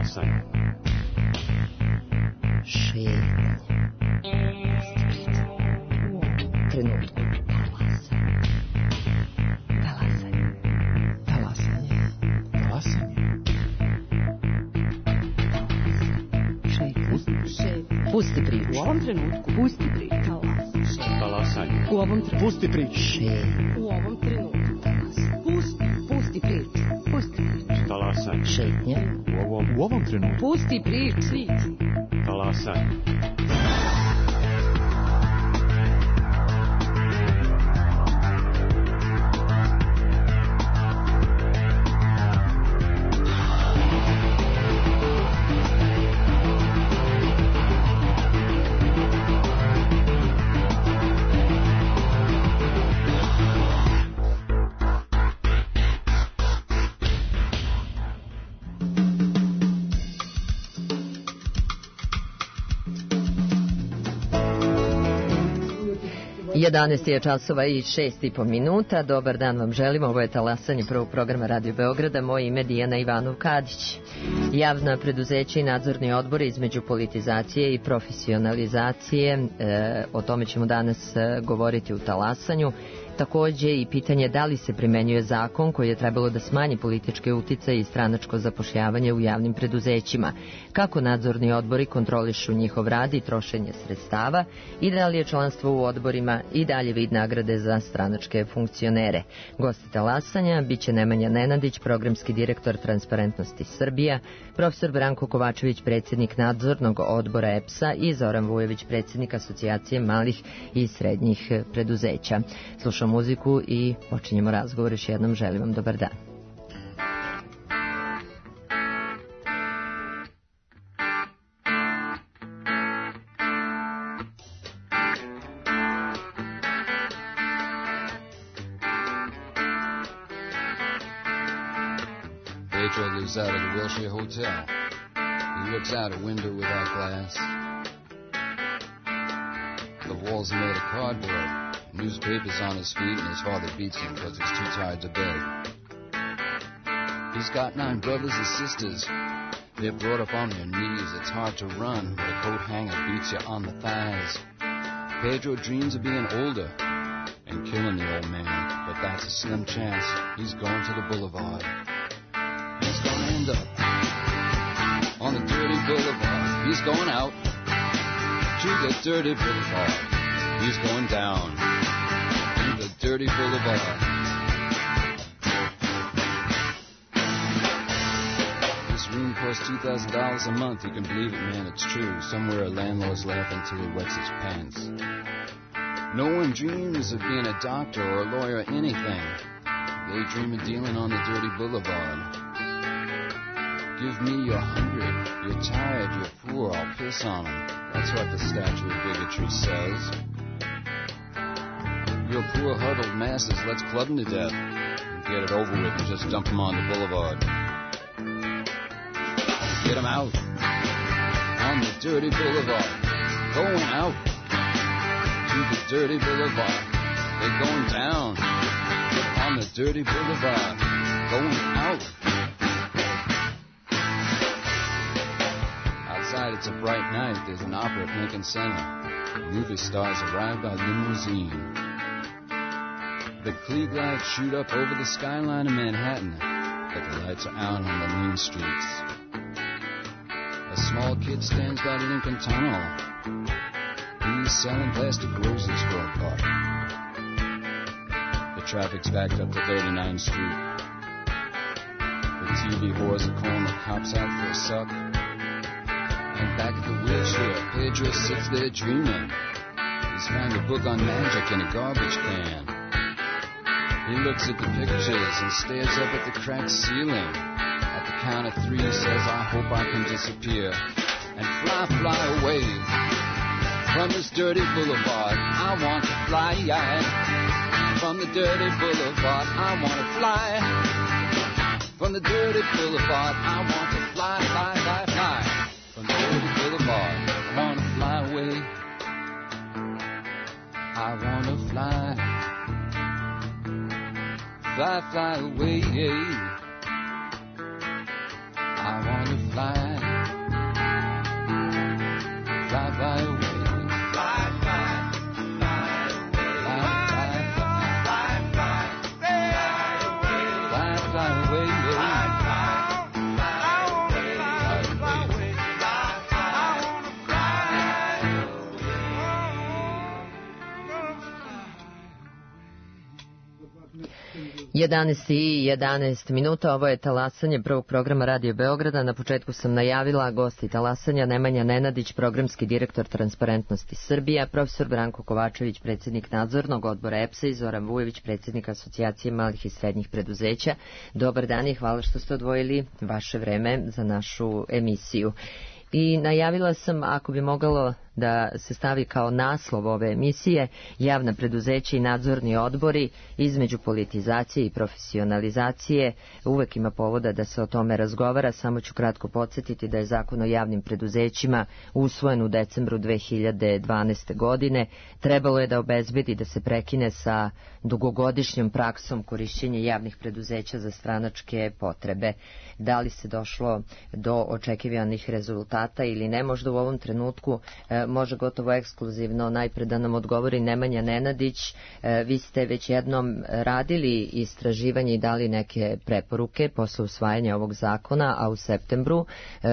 Talasanje. Šetnje. Trenutku. Talasanje. Talasanje. Talasanje. Pusti priču. U ovom trenutku. Pusti priču. Talasanje. U ovom trenutku. Pusti priču. U ovom trenutku. Pusti priču. Pusti priču. Talasanje. Šetnje. U ovom trenutku. Pusti priču. Talasanje. Jedanaest je časova i 6,5 minuta. Dobar dan vam želimo. Ovo je Talasanje prvog programa Radio Beograda. Moje ime je Dijana Ivanov-Kadić. Javna preduzeća i nadzorni odbori između politizacije i profesionalizacije. O tome ćemo danas govoriti u Talasanju. Takođe i pitanje da li se primenjuje zakon koji je trebalo da smanji političke uticaje i stranačko zapošljavanje u javnim preduzećima. Kako nadzorni odbori kontrolišu njihov rad i trošenje sredstava i da li je članstvo u odborima i dalje vid nagrade za stranačke funkcionere. Gosti Talasanja biće Nemanja Nenadić, programski direktor Transparentnosti Srbija, profesor Branko Kovačević, predsjednik nadzornog odbora EPS-a i Zoran Vujović, predsjednik Asocijacije malih i srednjih preduzeća. Slušamo muziku i počinjemo razgovor. Još jednom želim vam dobar dan. Pedro lives out of the Wilshire Hotel. He looks out a window without glass. The walls are made of cardboard. Newspapers on his feet, and his father beats him because he's too tired to beg. He's got 9 brothers and sisters. They're brought up on their knees. It's hard to run, but a coat hanger beats you on the thighs. Pedro dreams of being older and killing the old man, but that's a slim chance. He's going to the boulevard. He's going to end up on the dirty boulevard. He's going out to the dirty boulevard. He's going down in the dirty boulevard. This room costs $2,000 a month. You can believe it, man, it's true. Somewhere a landlord's laughing till he wets his pants. No one dreams of being a doctor or a lawyer or anything. They dream of dealing on the dirty boulevard. Give me your 100. You're tired, you're poor, I'll piss on them. That's what the statue of bigotry says. Your poor huddled masses, let's club them to death and get it over with and just dump them on the boulevard. Get them out on the dirty boulevard. Going out to the dirty boulevard. They're going down on the dirty boulevard. Going out. Outside it's a bright night. There's an opera at Lincoln Center. Movie stars arrive by limousine. The Klieg lights shoot up over the skyline of Manhattan, but the lights are out on the mean streets. A small kid stands by the Lincoln Tunnel. He's selling plastic roses for a buck. The traffic's backed up to 39th Street. The TV whores are calling the cops out for a suck. And back at the wheelchair, Pedro sits there dreaming. He's found a book on magic in a garbage can. He looks at the pictures and stares up at the cracked ceiling. At the count of 3 he says, I hope I can disappear and fly away from this dirty boulevard. I want to fly from the dirty boulevard. I want to fly from the dirty boulevard. I want to fly from the dirty boulevard. I want to fly away. I want to fly away. I want to fly 11:11 minuta, ovo je talasanje prvog programa Radio Beograda. Na početku sam najavila gosti talasanja: Nemanja Nenadić, programski direktor Transparentnosti Srbija, profesor Branko Kovačević, predsjednik nadzornog odbora EPS-a i Zoran Vujović, predsjednik Asocijacije malih i srednjih preduzeća. Dobar dan i hvala što ste odvojili vaše vreme za našu emisiju. I najavila sam, ako bi moglo da se stavi kao naslov ove emisije, javna preduzeća i nadzorni odbori između politizacije i profesionalizacije. Uvek ima povoda da se o tome razgovara. Samo ću kratko podsjetiti da je Zakon o javnim preduzećima usvojen u decembru 2012. godine. Trebalo je da obezbedi da se prekine sa dugogodišnjom praksom korišćenja javnih preduzeća za stranačke potrebe. Da li se došlo do očekivanih rezultata ili ne, možda u ovom trenutku može gotovo ekskluzivno najpre da nam odgovori Nemanja Nenadić. Vi ste već jednom radili istraživanje i dali neke preporuke posle usvajanja ovog zakona, a u septembru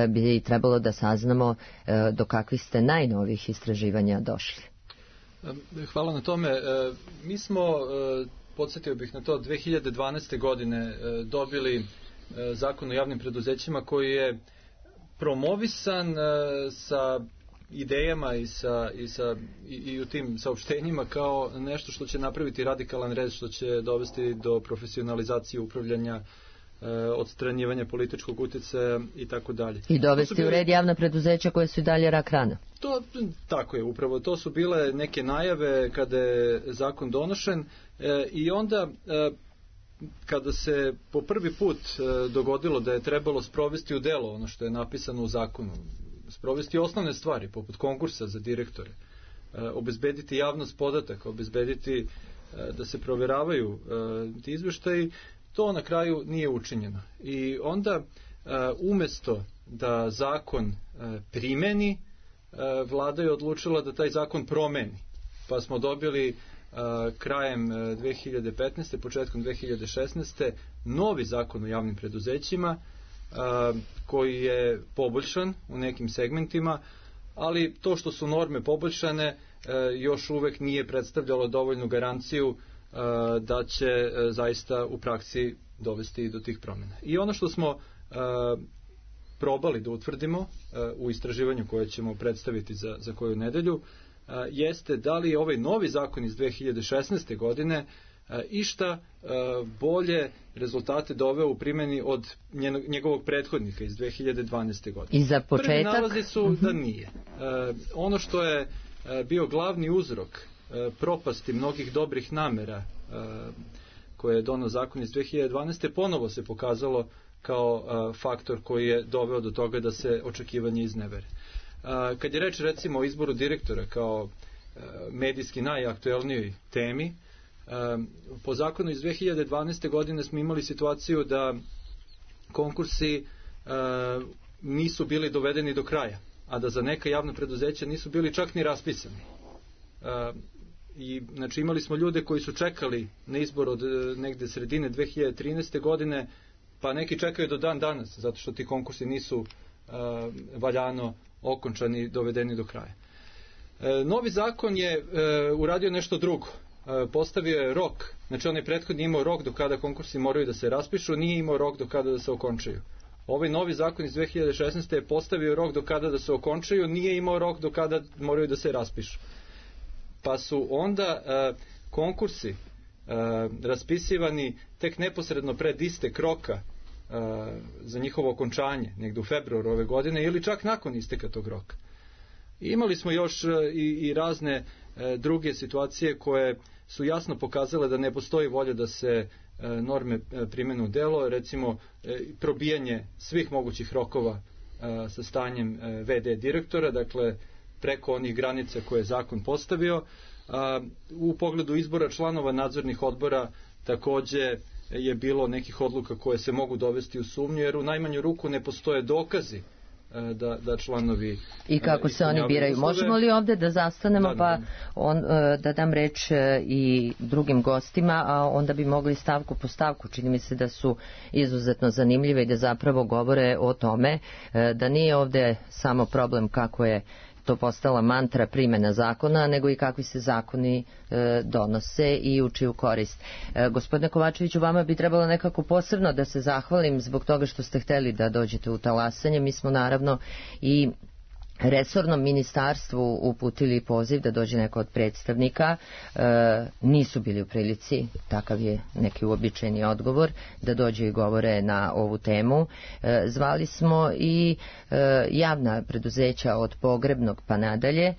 bi trebalo da saznamo do kakvih ste najnovijih istraživanja došli. Hvala na tome. Mi smo, podsjetio bih na to, 2012. godine dobili Zakon o javnim preduzećima koji je promovisan sa idejama i u tim saopštenjima kao nešto što će napraviti radikalan rez, što će dovesti do profesionalizacije upravljanja, odstranjivanja političkog utjecaja i tako dalje. I dovesti u red javna preduzeća koje su i dalje rak rana. Tako je, upravo to su bile neke najave kada je zakon donošen i onda kada se po prvi put dogodilo da je trebalo sprovesti u delo ono što je napisano u zakonu, sprovesti osnovne stvari poput konkursa za direktore, obezbediti javnost podataka, obezbediti da se provjeravaju ti izveštaji, to na kraju nije učinjeno. I onda umjesto da zakon primeni, vlada je odlučila da taj zakon promeni. Pa smo dobili krajem 2015. početkom 2016. novi zakon o javnim preduzećima koji je poboljšan u nekim segmentima, ali to što su norme poboljšane još uvek nije predstavljalo dovoljnu garanciju da će zaista u praksi dovesti do tih promjena. I ono što smo probali da utvrdimo u istraživanju koje ćemo predstaviti za koju nedelju jeste da li je ovaj novi zakon iz 2016. godine išta bolje rezultate doveo u primjeni od njegovog prethodnika iz 2012. godine. I za početak? Prvi nalazi su da nije. Ono što je bio glavni uzrok propasti mnogih dobrih namera koje je donio zakon iz 2012. ponovo se pokazalo kao faktor koji je doveo do toga da se očekivanje iznevere. Kad je reč recimo o izboru direktora kao medijski najaktuelnijoj temi, po zakonu iz 2012. godine smo imali situaciju da konkursi nisu bili dovedeni do kraja, a da za neka javna preduzeća nisu bili čak ni raspisani. I znači imali smo ljude koji su čekali na izbor od negde sredine 2013. godine, pa neki čekaju do dan danas, zato što ti konkursi nisu valjano okončani i dovedeni do kraja. Novi zakon je uradio nešto drugo. Postavio je rok, znači onaj prethodni imao rok do kada konkursi moraju da se raspišu, nije imao rok do kada da se okončaju. Ovaj novi zakon iz 2016. je postavio rok do kada da se okončaju, nije imao rok do kada moraju da se raspišu. Pa su onda konkursi raspisivani tek neposredno pred istek roka za njihovo okončanje, negdje u februaru ove godine ili čak nakon isteka tog roka. Imali smo još i razne druge situacije koje su jasno pokazale da ne postoji volja da se norme primene u delo, recimo probijanje svih mogućih rokova sa stanjem VD direktora, dakle preko onih granica koje je zakon postavio. U pogledu izbora članova nadzornih odbora također je bilo nekih odluka koje se mogu dovesti u sumnju, jer u najmanju ruku ne postoje dokazi da članovi i kako se oni biraju. Uslove. Možemo li ovdje da zastanemo da dam reč i drugim gostima, a onda bi mogli stavku po stavku, čini mi se da su izuzetno zanimljive i da zapravo govore o tome da nije ovdje samo problem kako je to postala mantra primjena zakona, nego i kakvi se zakoni donose i u čiju korist. Gospodine Kovačeviću, vama bi trebalo nekako posebno da se zahvalim zbog toga što ste hteli da dođete u talasanje. Mi smo naravno i resornom ministarstvu uputili poziv da dođe neko od predstavnika, nisu bili u prilici, takav je neki uobičajeni odgovor, da dođe i govore na ovu temu. Zvali smo i javna preduzeća od pogrebnog pa nadalje.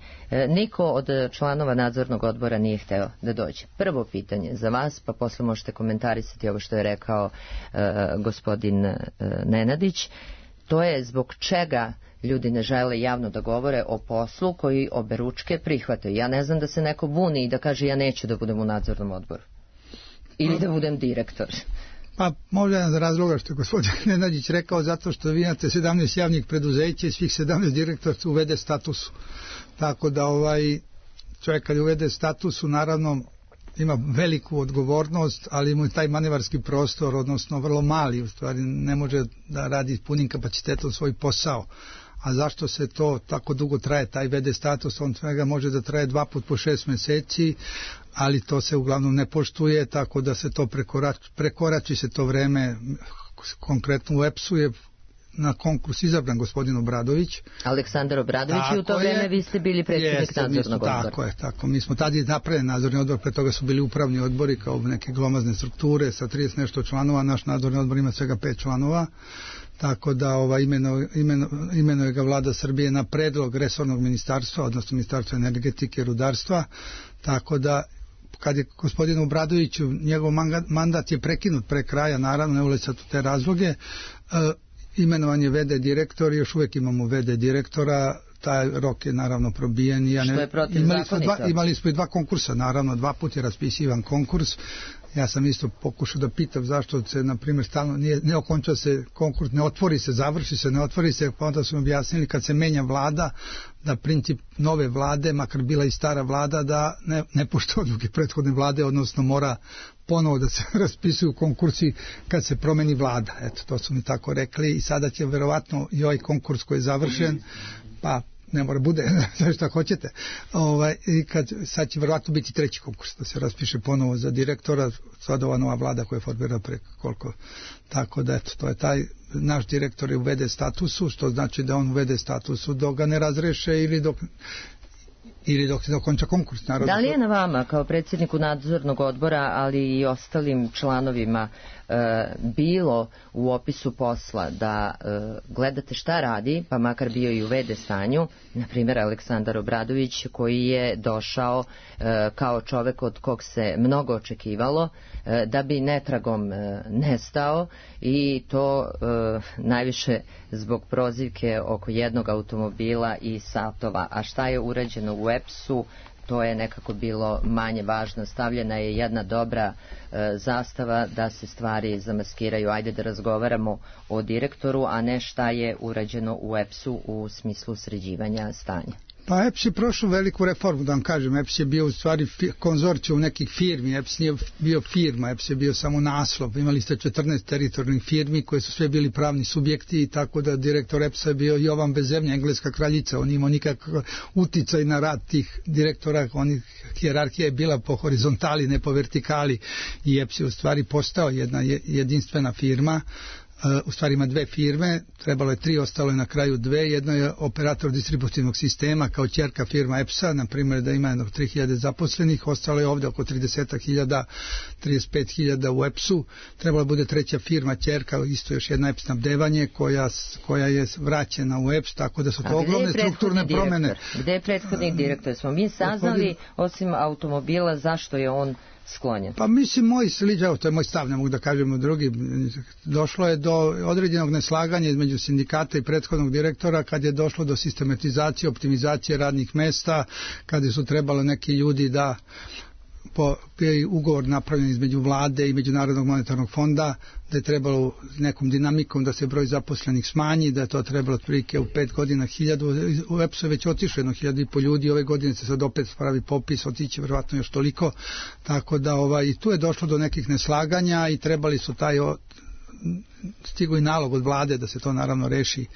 Niko od članova nadzornog odbora nije hteo da dođe. Prvo pitanje za vas, pa posle možete komentarisati ovo što je rekao gospodin Nenadić. To je zbog čega ljudi ne žele javno da govore o poslu koji oberučke prihvataju. Ja ne znam da se neko buni i da kaže ja neću da budem u nadzornom odboru. Ili da budem direktor. Pa možda jedan razloga što je gospodin Nenadić rekao, zato što vi imate 17 javnih preduzeća i svih 17 direktora uvede statusu. Tako da čovjek kad uvede statusu, naravno ima veliku odgovornost, ali mu je taj manevarski prostor, odnosno vrlo mali, u stvari ne može da radi punim kapacitetom svoj posao. A zašto se to tako dugo traje, taj VD status, on svega može da traje 2 puta po 6 mjeseci, ali to se uglavnom ne poštuje, tako da se to prekorači se to vreme. Konkretno u EPS-u je na konkurs izabran gospodin Obradović. Aleksandar Obradović, i u to vreme vi ste bili predsjednik nadzornog odbora. Tako je, tako. Mi smo tada napravili nadzorni odbor, pre toga su bili upravni odbori kao neke glomazne strukture sa 30 nešto članova, naš nadzorni odbor ima svega 5 članova, tako da imenuje ga vlada Srbije na predlog resornog ministarstva, odnosno ministarstva energetike i rudarstva, tako da kad je gospodinu Obradoviću, njegov mandat je prekinut pre kraja, naravno ne ulazi sad u te razloge, imenovan je VD direktor, još uvijek imamo VD direktora, taj rok je naravno probijen. Što je protivzakonito? Imali smo i 2 konkursa, naravno 2 puta je raspisivan konkurs. Ja sam isto pokušao da pitam zašto se, na primjer, stalno ne okonča se konkurs, ne otvori se, završi se, ne otvori se, pa onda su mi objasnili kad se menja vlada, da princip nove vlade, makar bila i stara vlada, da ne poštuje odluke prethodne vlade, odnosno mora ponovo da se raspisuju konkursi kad se promeni vlada. Eto, to su mi tako rekli i sada će verovatno i ovaj konkurs koji je završen, pa ne mora bude, sve što hoćete. Sad će verovatno biti 3. konkurs, da se raspiše ponovo za direktora, sad ova nova vlada koja je formirala preko koliko. Tako da, eto, to je taj naš direktor je u VD statusu, što znači da on u VD statusu dok ga ne razreše ili dok se dokonča konkurs. Naravno. Da li je na vama kao predsjedniku nadzornog odbora, ali i ostalim članovima bilo u opisu posla da gledate šta radi, pa makar bio i u VD stanju, na primjer Aleksandar Obradović koji je došao kao čovek od kog se mnogo očekivalo, da bi netragom nestao i to najviše zbog prozivke oko jednog automobila i satova. A šta je urađeno u EPS-u, to je nekako bilo manje važno. Stavljena je jedna dobra zastava da se stvari zamaskiraju. Ajde da razgovaramo o direktoru, a ne šta je urađeno u EPS-u u smislu sređivanja stanja. Pa EPS je prošao veliku reformu, da vam kažem. EPS je bio u stvari konzorcijum nekih firmi, EPS nije bio firma, EPS je bio samo naslov. Imali ste 14 teritorijalnih firmi koje su sve bili pravni subjekti, i tako da direktor EPS-a je bio Jovan Bezemlja, engleska kraljica. On imao nikakav uticaj na rad tih direktora, hijerarhija je bila po horizontali, ne po vertikali, i EPS je u stvari postao jedna jedinstvena firma. U stvari ima 2 firme, trebalo je 3, ostalo je na kraju 2, jedno je operator distributivnog sistema kao ćerka firma EPS-a, na primjer da ima 3000 zaposlenih, ostalo je ovdje oko 30.000, 35.000 u EPS-u, trebalo bude 3. firma ćerka, isto još jedna EPS snabdevanje koja je vraćena u EPS, tako da su to ogromne strukturne promjene. Gde je prethodnik direktor? Smo mi saznali, osim automobila, zašto je on sklonjen? Pa mislim, to je moj stav, ne mogu da kažem u drugi. Došlo je do određenog neslaganja između sindikata i prethodnog direktora kad je došlo do sistematizacije, optimizacije radnih mesta, kada su trebalo neki ljudi da bio je ugovor napravljen između vlade i Međunarodnog monetarnog fonda, da je trebalo nekom dinamikom da se broj zaposlenih smanji, da je to trebalo otprilike u 5 godina 1000, u EPS-u je već otišlo 1.500 ljudi, ove godine se sad opet pravi popis, otiće vjerovatno još toliko, tako da i tu je došlo do nekih neslaganja i trebali su stigao i nalog od vlade da se to naravno reši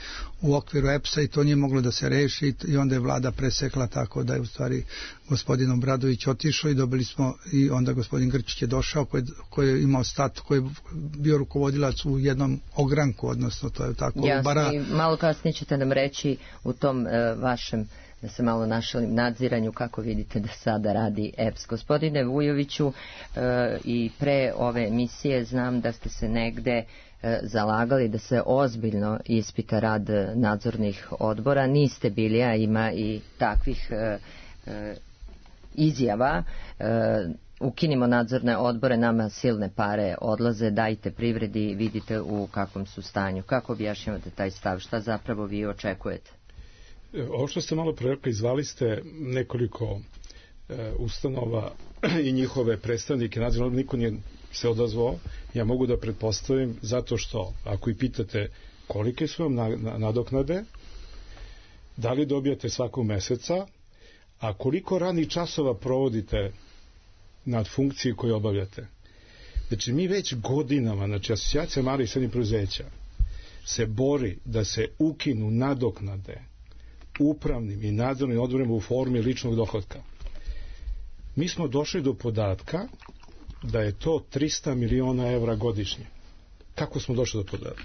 u okviru EPS-a i to nije moglo da se reši i onda je vlada presekla, tako da je u stvari gospodin Obradović otišao i dobili smo i onda gospodin Grčić je došao koji je imao koji je bio rukovodilac u jednom ogranku, odnosno to je tako. Jasno, i malo kasnije ćete nam reći u tom vašem, da se malo našalim, nadziranju kako vidite da sada radi EPS. Gospodine Vujoviću, i pre ove emisije znam da ste se negde zalagali da se ozbiljno ispita rad nadzornih odbora. Niste bili, a ima i takvih izjava. Ukinimo nadzorne odbore, nama silne pare odlaze, dajte privredi, vidite u kakvom su stanju. Kako objašnjavate taj stav? Šta zapravo vi očekujete? Ovo što ste malo prerekli, zvali ste nekoliko ustanova i njihove predstavnike nadzornog, niko nije se odazvao. Ja mogu da pretpostavim, zato što ako i pitate kolike su vam nadoknade, da li dobijate svakog meseca, a koliko radnih časova provodite nad funkcije koje obavljate. Znači mi već godinama, znači Asocijacija malih i srednjih preduzeća se bori da se ukinu nadoknade upravnim i nadzornim odborima u formi ličnog dohotka. Mi smo došli do podatka da je to 300 miliona evra godišnje. Kako smo došli do podatka?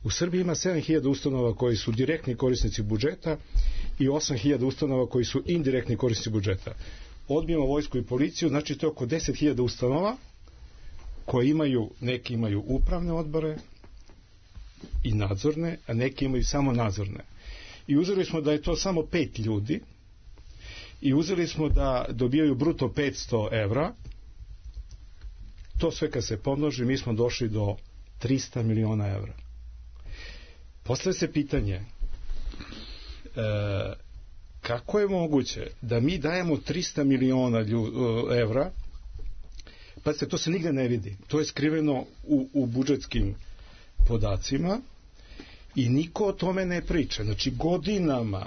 U Srbiji ima 7.000 ustanova koji su direktni korisnici budžeta i 8.000 ustanova koji su indirektni korisnici budžeta. Odbijemo vojsku i policiju, znači to je oko 10.000 ustanova koje imaju, neki imaju upravne odbore i nadzorne, a neki imaju samo nadzorne. I uzeli smo da je to samo 5 ljudi i uzeli smo da dobijaju bruto 500 evra. To sve kad se pomnoži, mi smo došli do 300 miliona evra. Postavlja se pitanje kako je moguće da mi dajemo 300 miliona evra, pa se to se nigde ne vidi. To je skriveno u budžetskim podacima i niko o tome ne priča. Znači godinama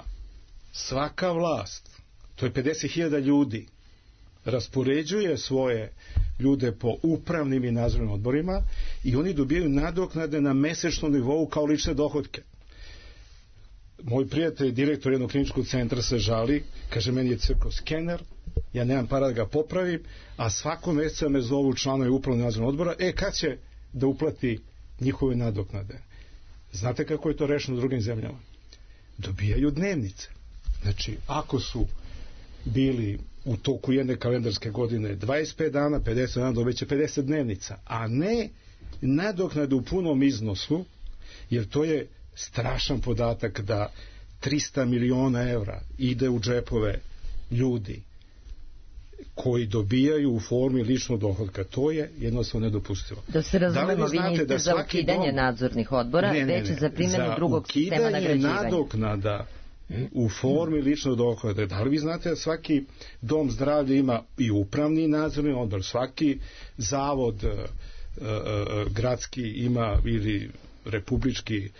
svaka vlast, to je 50.000 ljudi, raspoređuje svoje ljude po upravnim i nadzornim odborima i oni dobijaju nadoknade na mesečnom nivou kao lične dohotke. Moj prijatelj, direktor jednog kliničkog centra, se žali, kaže, meni je crkao skener, ja nemam para da ga popravim, a svako meseca me zovu članovi upravnog nadzornog odbora, kad će da uplati njihove nadoknade. Znate kako je to rešeno u drugim zemljama? Dobijaju dnevnice. Znači, ako su bili u toku jedne kalendarske godine 25 dana, 50 dana, dobiće 50 dnevnica, a ne nadoknade u punom iznosu, jer to je strašan podatak da 300 miliona evra ide u džepove ljudi koji dobijaju u formi ličnog dohotka. To je jednostavno nedopustivo. Da se razumemo, vi niste za ukidanje nadzornih odbora, već za primjenu drugog sistema nagrađivanja. Ukidanje nadoknada u formi ličnog dohotka. Da li vi znate da svaki dom zdravlja ima i upravni nadzorni odbor, svaki zavod gradski ima ili republički,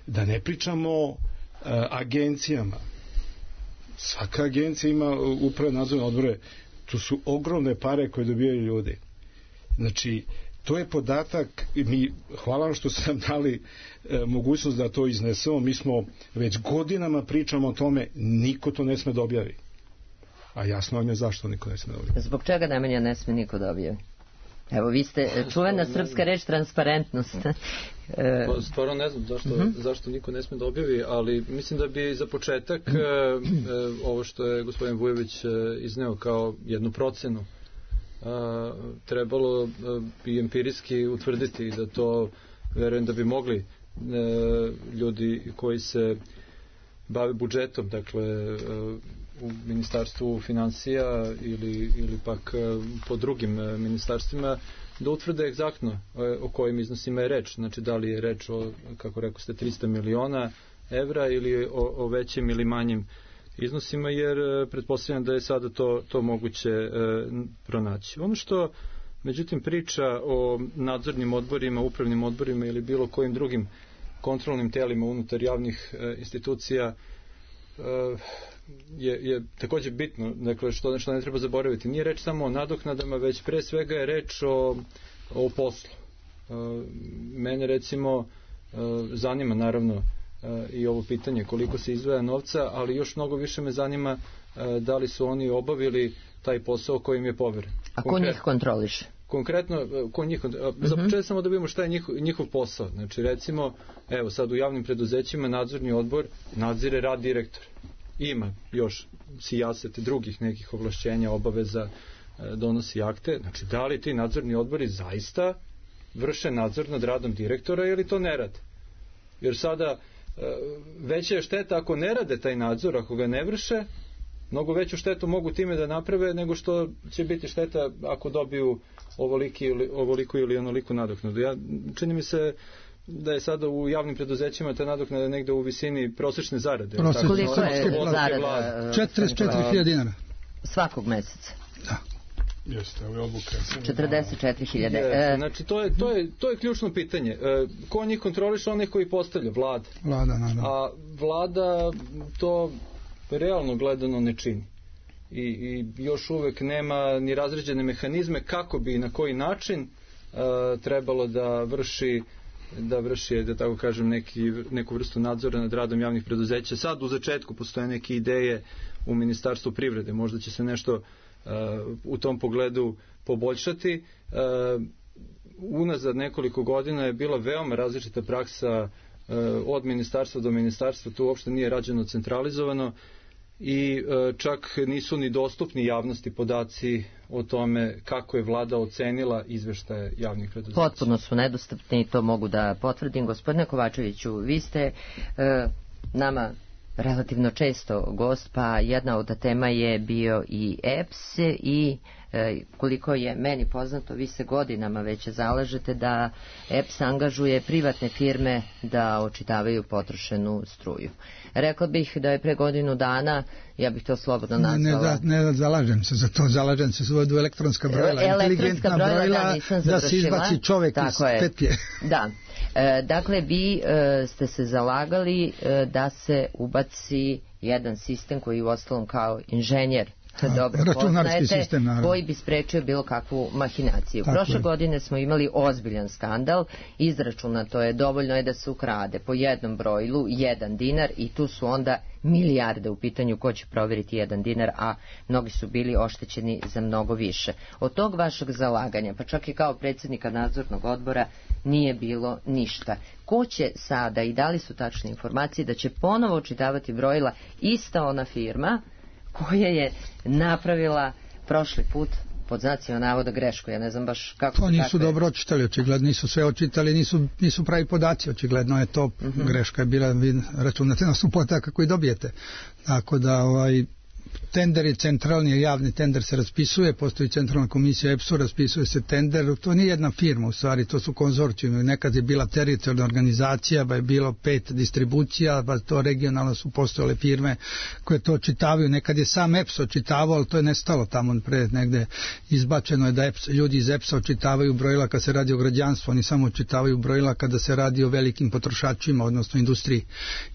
da ne pričamo o agencijama. Svaka agencija ima upravne nadzorne odbore. To su ogromne pare koje dobijaju ljudi. Znači, to je podatak, hvala vam što ste nam dali mogućnost da to iznesemo, mi smo već godinama pričamo o tome, niko to ne sme da objavi. A jasno vam je zašto niko ne sme da objavi. Zbog čega Nemanja ne sme niko da objavi? Evo, vi ste čuvena srpska reč transparentnost. Stvarno ne znam zašto niko ne sme da objavi, ali mislim da bi za početak ovo što je gospodin Vujović izneo kao jednu procenu trebalo i empirijski utvrditi da to, verujem da bi mogli ljudi koji se bave budžetom, dakle u ministarstvu finansija ili pak po drugim ministarstvima, da utvrde egzaktno o kojim iznosima je reč. Znači, da li je reč o, kako rekao ste, 300 miliona evra ili o većim ili manjim iznosima, jer pretpostavljam da je sada to moguće pronaći. Ono što, međutim, priča o nadzornim odborima, upravnim odborima ili bilo kojim drugim kontrolnim telima unutar javnih institucija je također bitno, dakle, što ne treba zaboraviti. Nije reč samo o nadoknadama, već pre svega je reč o poslu. Mene recimo zanima naravno i ovo pitanje koliko se izdvaja novca, ali još mnogo više me zanima da li su oni obavili taj posao koji im je poveren. A ko njih kontroliše? Konkretno, za početak samo da vidimo šta je njihov posao. Znači, recimo, evo sad u javnim preduzećima nadzorni odbor nadzire rad direktora. Ima još sijasete drugih nekih ovlašćenja, obaveza, donosi akte. Znači, da li ti nadzorni odbori zaista vrše nadzor nad radom direktora ili to ne rade? Jer sada veća je šteta ako ne rade taj nadzor, ako ga ne vrše, mnogo veću štetu mogu time da naprave nego što će biti šteta ako dobiju ovoliku ili onoliku nadoknadu. Čini mi se da je sada u javnim preduzećima ta nadoknada negde u visini prosečne zarade. Koliko je zarada? 44.000 dinara. Svakog meseca? Da. Jeste, ovo je odluka. 44.000. Znači, to je ključno pitanje. Ko njih kontroliše? Onih koji postavlja? Vlada. A vlada to realno gledano ne čini. I još uvek nema ni razređene mehanizme kako bi i na koji način trebalo da vrši, da tako kažem, neku vrstu nadzora nad radom javnih preduzeća. Sad u začetku postoje neke ideje u Ministarstvu privrede. Možda će se nešto u tom pogledu poboljšati. Unazad nekoliko godina je bila veoma različita praksa od ministarstva do ministarstva. Tu uopšte nije rađeno centralizovano i čak nisu ni dostupni javnosti podaci o tome kako je vlada ocenila izveštaje javnih preduzeća. Potpuno su nedostupni i to mogu da potvrdim. Gospodine Kovačeviću, vi ste nama relativno često gost, pa jedna od tema je bio i EPS i koliko je meni poznato, vi se godinama već zalažete da EPS angažuje privatne firme da očitavaju potrošenu struju. Rekla bih da je pre godinu dana, ja bih to slobodno nazvala... Ne zalažem se za to, zalažem se za elektronska brojila, inteligentna brojila, da se izbaci čovek iz petlje. Da. Dakle, vi ste se zalagali da se ubaci jedan sistem koji u ostalom kao inženjer dobro poznajete, koji bi sprečio bilo kakvu mahinaciju. Prošle godine smo imali ozbiljan skandal, izračunato je, dovoljno je da se ukrade po jednom brojilu 1 dinar i tu su onda milijarde u pitanju ko će provjeriti 1 dinar, a mnogi su bili oštećeni za mnogo više. Od tog vašeg zalaganja, pa čak i kao predsjednika nadzornog odbora, nije bilo ništa. Ko će sada, i da li su tačne informacije, da će ponovo očitavati brojila ista ona firma koja je napravila prošli put pod znacima navoda grešku, ja ne znam baš kako... To nisu dobro očitali, očigledno nisu sve očitali, nisu pravi podaci, očigledno je to greška je bila, vi računate na supotaka koji dobijete. Tako da tender je centralni, javni tender se raspisuje, postoji centralna komisija EPS-u, raspisuje se tender, to nije jedna firma u stvari, to su konzorcijumi, nekad je bila teritorijalna organizacija, pa je bilo 5 distribucija, pa to regionalno su postojale firme koje to očitavaju, nekad je sam EPS očitavao, ali to je nestalo tamo pred negde, izbačeno je da ljudi iz EPS-a očitavaju brojila kad se radi o građanstvu, oni samo očitavaju brojila kada se radi o velikim potrošačima, odnosno industriji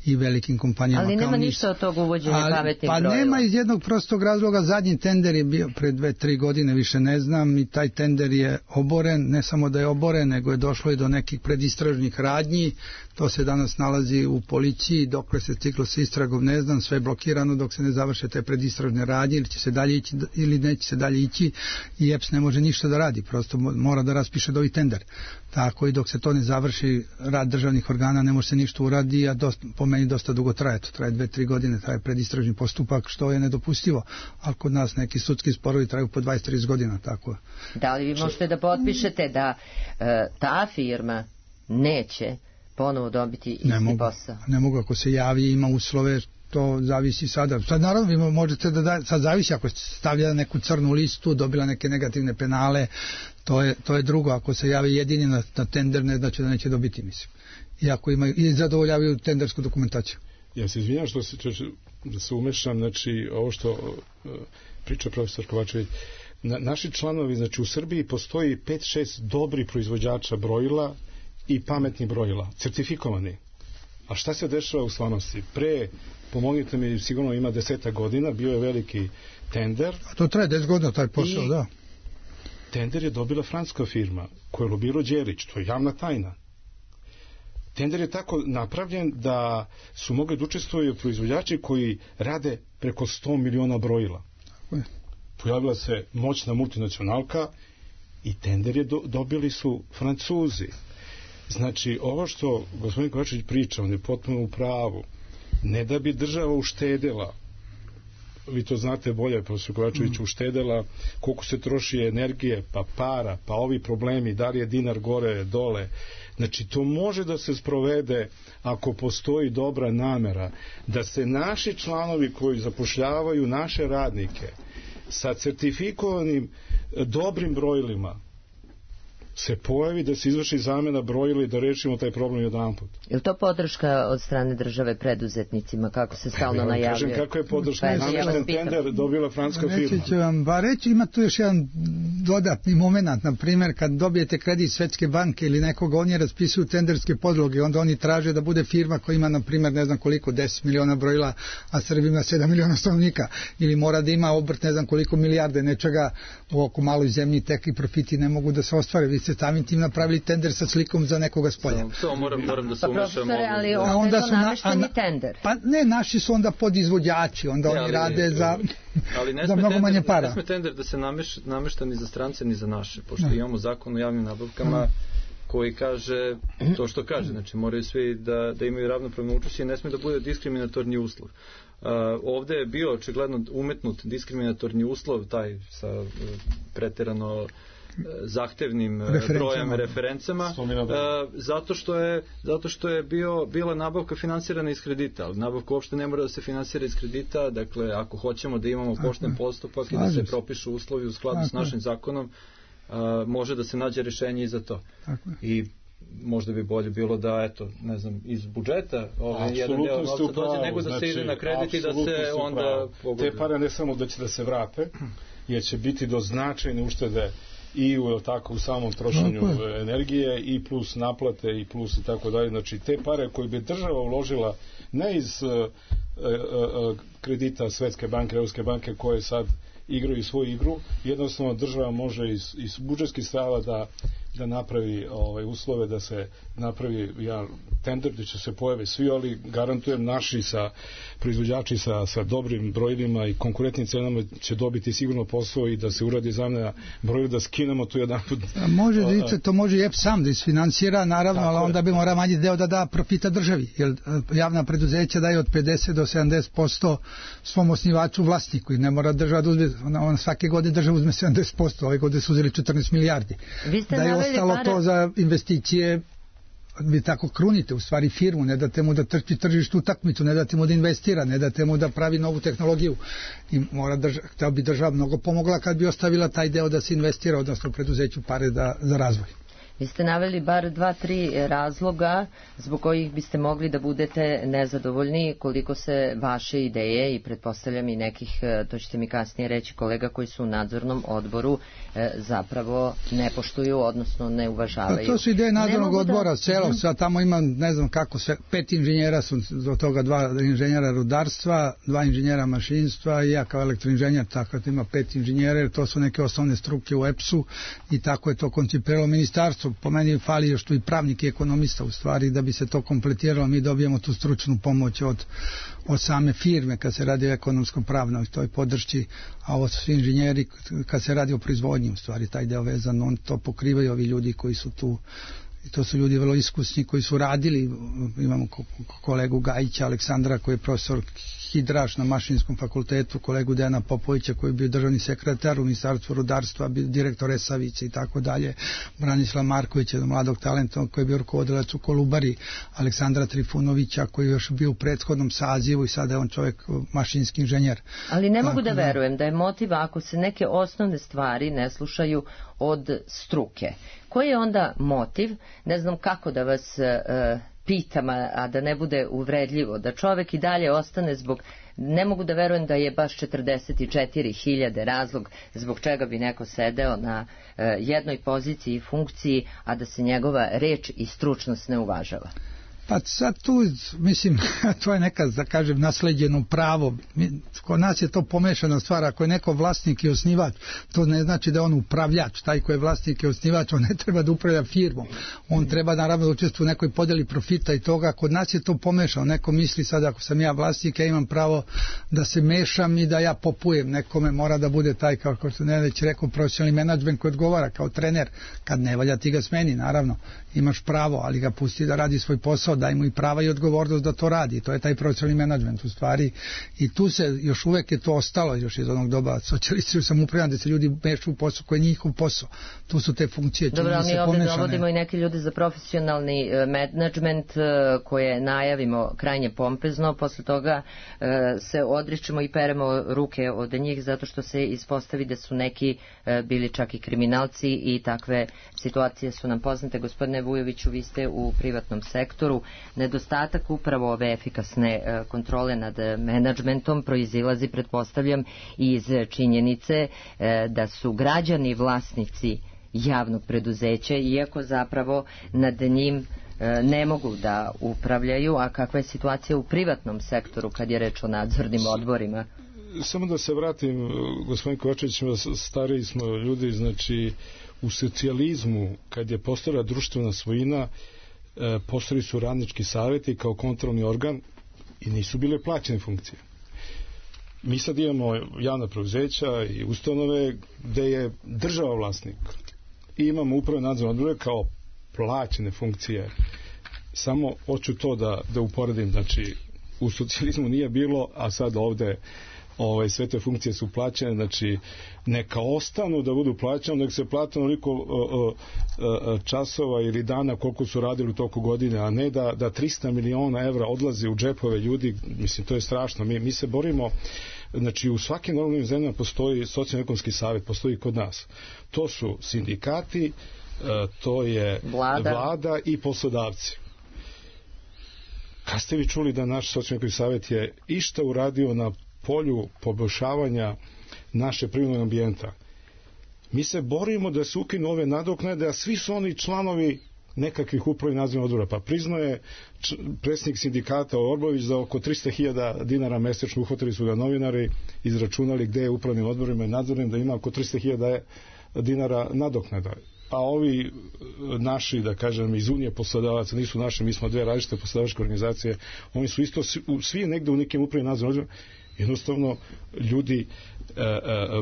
i velikim kompanijama. Ali nema ništa od tog uvođenja pametnih brojila. Pa nema iz jednog prostog razloga, zadnji tender je bio pre 2-3 godine, više ne znam, i taj tender je oboren, ne samo da je oboren, nego je došlo i do nekih predistražnih radnji, to se danas nalazi u policiji, dokle se stiglo sa istragom ne znam, sve je blokirano dok se ne završe te predistražne radnje, ili će se dalje ići ili neće se dalje ići, i EPS ne može ništa da radi, prosto mora da raspiše novi tender. Tako i dok se to ne završi, rad državnih organa ne može se ništa uradi, a po meni dosta dugo traje, to traje 2-3 godine, traje predistražni postupak, što je nedopustivo, ali kod nas neki sudski sporovi traju po 20-30 godina, tako. Da li vi možete da potpišete da ta firma neće ponovo dobiti isti posao? Ne mogu, ako se javi, ima uslove, to zavisi sada. Sad naravno vi možete sad zavisi ako stavlja neku crnu listu, dobila neke negativne penale, to je drugo, ako se javi jedini na tender, ne znači da neće dobiti, mislim. I ako imaju i zadovoljavaju tendersku dokumentaciju. Ja se izvinjam da se umešam, znači ovo što priča profesor Kovačević, naši članovi, znači u Srbiji postoji 5-6 dobri proizvođača brojila i pametnih brojila, certifikovani. A šta se dešava u stvarnosti? Pomognite mi, sigurno ima 10 godina, bio je veliki tender. A to traje 10 godina taj posao, da. Tender je dobila francuska firma koju je lobirao Đelić, to je javna tajna. Tender je tako napravljen da su mogli da učestvuju proizvođači koji rade preko 100 miliona brojila. Pojavila se moćna multinacionalka i tender je dobili su Francuzi. Znači, ovo što gospodin Kovačević priča, on je potpuno u pravu. Ne da bi država uštedela, vi to znate bolje, profesor Kovačević, uštedela koliko se troši energije, pa para, pa ovi problemi, da li je dinar gore, dole. Znači, to može da se sprovede ako postoji dobra namera, da se naši članovi koji zapošljavaju naše radnike sa certifikovanim dobrim brojilima se pojavi, da se izvrši zamena brojila i da rešimo taj problem jedanput. Je li to podrška od strane države preduzetnicima, kako se stalno najavljuje? Kažem kako je podrška. Namešten tender dobila francuska firma. Reći ću vam, reći, ima tu još jedan dodatni moment, na primjer, kad dobijete kredit Svetske banke ili nekoga, oni raspisuju tenderske podloge, onda oni traže da bude firma koja ima, na primjer, ne znam koliko, 10 miliona brojila, a Srbija ima 7 miliona stanovnika, ili mora da ima obrt ne znam koliko milijarde nečega, u oko maloj zemlji tekli profiti ne mogu da se ostvare. Vi ste samim tim napravili tender sa slikom za nekoga s polja. Samo moram da se umešam. Profesore, ali onda je to namešteni tender. Pa ne, naši su onda podizvođači, onda oni rade za mnogo manje para. Ne sme tender da se namešta ni za strance ni za naše, pošto imamo zakon o javnim nabavkama koji kaže to što kaže, znači moraju svi da imaju ravnopravno učešće i ne sme da bude diskriminatorni uslov. Ovde je bio očigledno umetnut diskriminatorni uslov, taj sa preterano zahtevnim brojem referencama, zato što je bila nabavka finansirana iz kredita, ali nabavka uopšte ne mora da se finansira iz kredita, dakle ako hoćemo da imamo pošten postupak i da se propišu uslovi u skladu s našim zakonom, može da se nađe rešenje i za to. I možda bi bolje bilo da, eto, ne znam, iz budžeta jedan deo novca dođe, nego da se ide na kredit i da se onda pogodi. Te pare ne samo da će da se vrate, jer će biti do značajne uštede i u samom trošenju energije i plus naplate i plus i tako dalje. Znači, te pare koje bi država uložila ne iz kredita Svetske banke, Evropske banke koje sad igraju svoju igru, jednostavno država može iz budžetskih sredstava da napravi uslove, da se napravi jedan tender gde će se pojave svi, ali garantujem naši proizvođači sa dobrim brojilima i konkurentnim cenama će dobiti sigurno posao i da se uradi zamena brojila, da skinemo tu jedan put. To može i EPS sam da isfinansira, naravno, ali onda bi mora manji deo da profita državi, jer javna preduzeća daje od 50 do 70% svom osnivaču vlasniku i ne mora država da uzme, svake godine država uzme 70%, ove godine su uzeli 14 milijardi. Da je ostalo to za investicije, vi tako krunite u stvari firmu, ne date mu da trči tržištu utakmicu, ne date mu da investira, ne date mu da pravi novu tehnologiju i htio bi država mnogo pomogla kad bi ostavila taj deo da se investira, odnosno preduzeću pare za razvoj. Vi ste naveli bar 2-3 razloga zbog kojih biste mogli da budete nezadovoljni koliko se vaše ideje i pretpostavljam i nekih, to ćete mi kasnije reći, kolega koji su u nadzornom odboru zapravo ne poštuju, odnosno ne uvažavaju. To su ideje nadzornog odbora, sad tamo ima, ne znam kako, 5 inženjera su, do toga 2 inženjera rudarstva, 2 inženjera mašinstva i ja kao elektroinženjer, tako da ima 5 inženjera, jer to su neke osnovne struke u EPS-u i tako je to koncipiralo ministarstvo. Po meni fali još tu i pravnik i ekonomista u stvari, da bi se to kompletiralo, mi dobijemo tu stručnu pomoć od same firme kad se radi o ekonomsko-pravnoj toj podršci, a ovo su svi inženjeri kad se radi o proizvodnji u stvari, taj deo vezan, on to pokrivaju ovi ljudi koji su tu i to su ljudi vrlo iskusni koji su radili, imamo kolegu Gajića Aleksandra koji je profesor hidraš na Mašinskom fakultetu, kolegu Dejana Popovića koji je bio državni sekretar u Ministarstvu rudarstva, bio direktor Resavice i tako dalje, Branislav Marković, mladog talenta koji je bio rukovodilac u Kolubari, Aleksandra Trifunovića koji je još bio u prethodnom sazivu i sada je on čovjek mašinski inženjer. Ali ne mogu da verujem da je motiv ako se neke osnovne stvari ne slušaju od struke. Koji je onda motiv, ne znam kako da vas pitam, a da ne bude uvredljivo, da čovek i dalje ostane zbog, ne mogu da verujem da je baš 44.000 razlog zbog čega bi neko sedeo na jednoj poziciji i funkciji, a da se njegova reč i stručnost ne uvažava. Pa sad tu, mislim, to je neka, da kažem, nasleđeno pravo. Kod nas je to pomešana stvar. Ako je neko vlasnik i osnivač, to ne znači da je on upravljač. Taj koji je vlasnik i osnivač, on ne treba da upravlja firmom. On treba naravno da učestvuje u nekoj podeli profita i toga. Kod nas je to pomešano. Neko misli sad, ako sam ja vlasnik, ja imam pravo da se mešam i da ja popujem. Nekome mora da bude taj, kao što ne već rekao, profesionalni menadžment koji odgovara kao trener. Kad ne valja, ti ga smeni, naravno. Imaš pravo, ali ga pusti da radi svoj posao, daj mu i prava i odgovornost da to radi. To je taj profesionalni menadžment u stvari. I tu se još uvek je to ostalo još iz onog doba socijalističkog samoupravljanja, da se ljudi mešu u posao koji je njihov posao. Tu su te funkcije. Dobro, mi ovdje dovodimo i neke ljude za profesionalni menadžment koje najavimo krajnje pompezno, posle toga se odričemo i peremo ruke od njih zato što se ispostavi da su neki bili čak i kriminalci i takve situacije su nam poznate. Gospodine Vujoviću, vi ste u privatnom sektoru. Nedostatak upravo ove efikasne kontrole nad menadžmentom proizilazi, pretpostavljam, iz činjenice da su građani vlasnici javnog preduzeća, iako zapravo nad njim ne mogu da upravljaju. A kakva je situacija u privatnom sektoru kad je reč o nadzornim odborima? Samo da se vratim, gospodin Kovačević, stariji smo ljudi, znači u socijalizmu, kad je postojala društvena svojina, postojali su radnički savjeti kao kontrolni organ i nisu bile plaćene funkcije. Mi sad imamo javna preduzeća i ustanove gde je država vlasnik i imamo upravo nadzorne odbore kao plaćene funkcije. Samo hoću to da uporedim, znači u socijalizmu nije bilo, a sad ovde sve te funkcije su plaćene, znači neka ostanu da budu plaćene, nek se plate onoliko časova ili dana koliko su radili u toku godine, a ne da 300 miliona evra odlazi u džepove ljudi. Mislim, to je strašno. Mi se borimo, znači u svakim normalnim zemljama postoji socijalno-ekonomski savjet, postoji kod nas. To su sindikati, to je vlada i poslodavci. Kad ste vi čuli da naš socijalno-ekonomski savjet je išta uradio na polju poboljšavanja naše privrednog ambijenta? Mi se borimo da se ukinu ove nadoknade, a svi su oni članovi nekakvih upravnih nadzornih odbora. Pa priznaje predsjednik sindikata Orbović za oko 300.000 dinara mesečno, uhvatili su ga novinari, izračunali gde je upravnim odborima i nadzornim, da ima oko 300.000 dinara nadoknada. A ovi naši, da kažem, iz Unije poslodavaca, nisu naši, mi smo dve različite poslodavačke organizacije, oni su isto svi negde u nekim upravnim nadzornim odborima. Jednostavno, ljudi,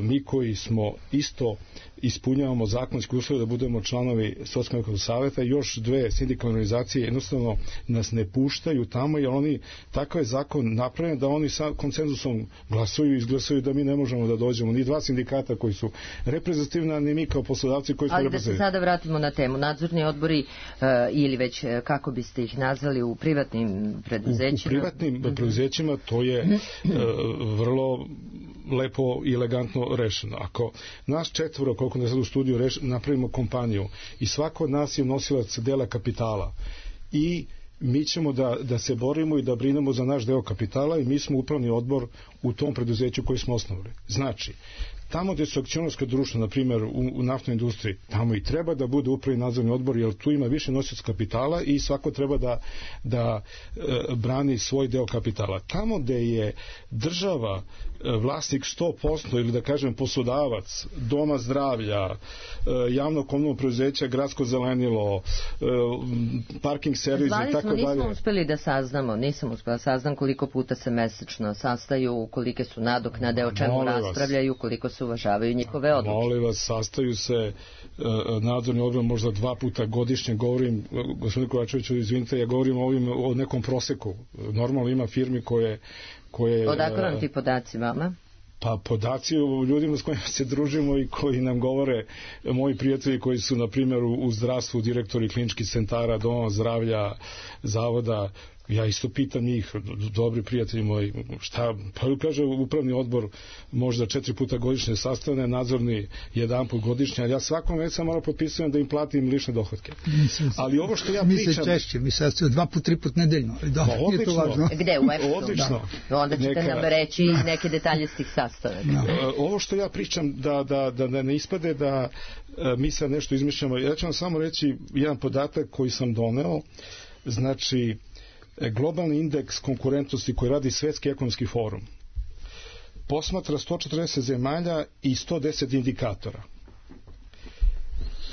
mi koji smo isto ispunjavamo zakonske uslove da budemo članovi socijalnog savjeta, još dve sindikalne organizacije jednostavno nas ne puštaju tamo, jer oni, takav je zakon napravljen da oni sa konsenzusom glasuju i izglasaju da mi ne možemo da dođemo, ni dva sindikata koji su reprezentativni, ni mi kao poslodavci koji smo reprezentativni. Ali da se sada vratimo na temu. Nadzorni odbori ili već kako biste ih nazvali u privatnim preduzećima? U privatnim preduzećima to je vrlo lepo i elegantno rešeno. Ako nas četvoro, koliko ne sad u studiju, napravimo kompaniju i svako od nas je nosilac dela kapitala i mi ćemo da se borimo i da brinemo za naš deo kapitala i mi smo upravni odbor u tom preduzeću koji smo osnovali. Znači, tamo gde su akcionarska društva, na primjer u naftnoj industriji, tamo i treba da bude upravni nadzorni odbor, jer tu ima više nosioca kapitala i svako treba da brani svoj deo kapitala. Tamo gde je država vlasnik 100% ili da kažem poslodavac, doma zdravlja, javno komunalno preduzeća, gradsko zelenilo, parking servis i tako dalje. Nismo uspeli da saznamo, nisam uspela da saznam koliko puta se mesečno sastaju, kolike su nadoknade, o čemu raspravljaju, koliko se uvažavaju njihove odluke. Molim vas, sastaju se nadzorni odbor možda 2 puta godišnje. Govorim, gospodin Kovačeviću, izvinite, ja govorim o nekom proseku. Normalno ima firmi koje... Odakle vam ti podaci vama? Pa podaci o ljudima s kojima se družimo i koji nam govore, moji prijatelji koji su na primjer u zdravstvu, direktori kliničkih centara, doma zdravlja, zavoda, ja isto pitam njih, dobri prijatelji moji, šta, pa kaže upravni odbor možda 4 puta godišnje sastane, nadzorni 1 put godišnje, ali ja svakom već morao potpisujem da im platim lične dohotke. Ali ovo što ja pričam... Mi se češće, mi se 2 put, 3 put nedeljno. Odlično. Gde, u EPS-u? Odlično. Onda ćete nam reći neke detalje s tih sastanaka. Ovo što ja pričam, da ne ispade da mi sad nešto izmišljamo, ja ću vam samo reći jedan podatak koji sam doneo, znači globalni indeks konkurentnosti koji radi Svetski ekonomski forum posmatra 140 zemalja i 110 indikatora.